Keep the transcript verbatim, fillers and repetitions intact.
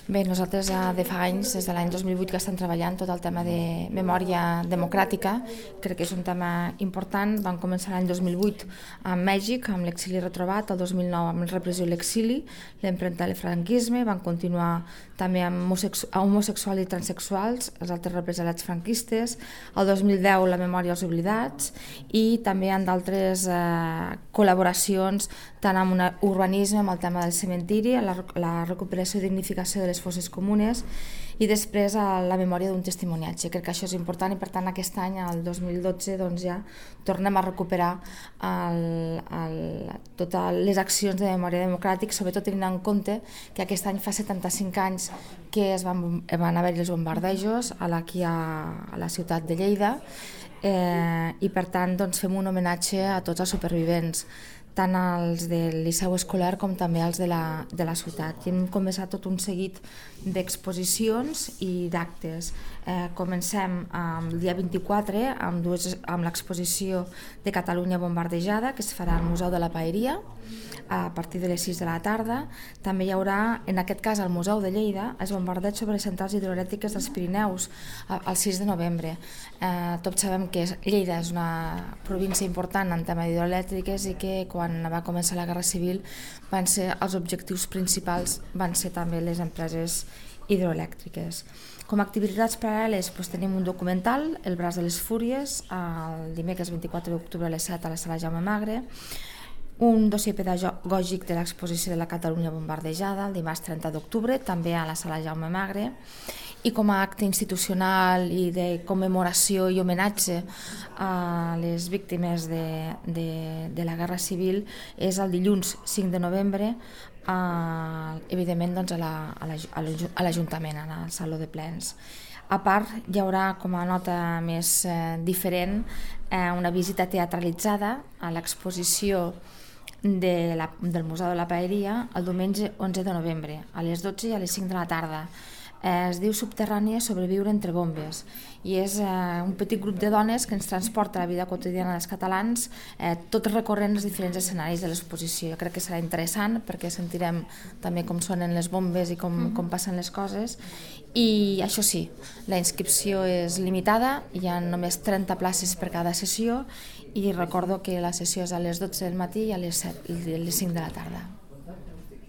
Bé, nosaltres eh, de fa anys, des de l'any dos mil vuit que estem treballant tot el tema de memòria democràtica, crec que és un tema important. Vam començar l'any dos mil vuit amb Mèxic, amb l'exili retrobat, el dos mil nou amb la repressió i l'exili, l'empremta del franquisme, van continuar també amb homosexuals i transexuals, els altres represaliats franquistes, el dos mil deu la memòria als oblidats i també amb d'altres eh, col·laboracions tant amb un urbanisme, amb el tema del cementiri, la, la recuperació i dignificació de les fosses comunes i després a la memòria d'un testimoniatge. Crec que això és important i per tant aquest any, el dos mil dotze, doncs ja tornem a recuperar el, el, totes les accions de memòria democràtica, sobretot tenint en compte que aquest any fa setanta-cinc anys que es van, van haver els bombardejos aquí a, a la ciutat de Lleida eh, i per tant doncs, fem un homenatge a tots els supervivents, tant els del Liceu Escolar com també els de la, de la ciutat. I hem començat tot un seguit d'exposicions i d'actes. Eh, comencem el dia vint-i-quatre amb, dues, amb l'exposició de Catalunya bombardejada, que es farà al Museu de la Paeria, a partir de les sis de la tarda. També hi haurà, en aquest cas al Museu de Lleida, el bombardeig sobre les centrals hidroelèctriques dels Pirineus el sis de novembre. Eh, tots sabem que Lleida és una província important en tema hidroelèctriques i que quan va començar la Guerra Civil van ser els objectius principals van ser també les empreses hidroelèctriques. Com a activitats paral·leles doncs, tenim un documental, El braç de les fúries, el dimecres vint-i-quatre d'octubre a les set a la sala Jaume Magre, un dossier pedagògic de l'exposició de la Catalunya bombardejada el dimarts trenta d'octubre, també a la sala Jaume Magre, i com a acte institucional i de commemoració i homenatge a les víctimes de, de, de la Guerra Civil és el dilluns cinc de novembre, eh, evidentment doncs, a l'Ajuntament, a al Saló de Plens. A part, hi haurà com a nota més eh, diferent eh, una visita teatralitzada a l'exposició de la, del Museu de la Paeria el diumenge onze de novembre, a les dotze i a les cinc de la tarda. Eh, es diu Subterrània, sobreviure entre bombes i és eh, un petit grup de dones que ens transporta a la vida quotidiana dels catalans, eh, tot recorrent els diferents escenaris de l'exposició. Jo crec que serà interessant perquè sentirem també com sonen les bombes i com, mm. com passen les coses i això sí, la inscripció és limitada, hi ha només trenta places per cada sessió i recordo que la sessió és a les dotze del matí i a les set, a les cinc de la tarda.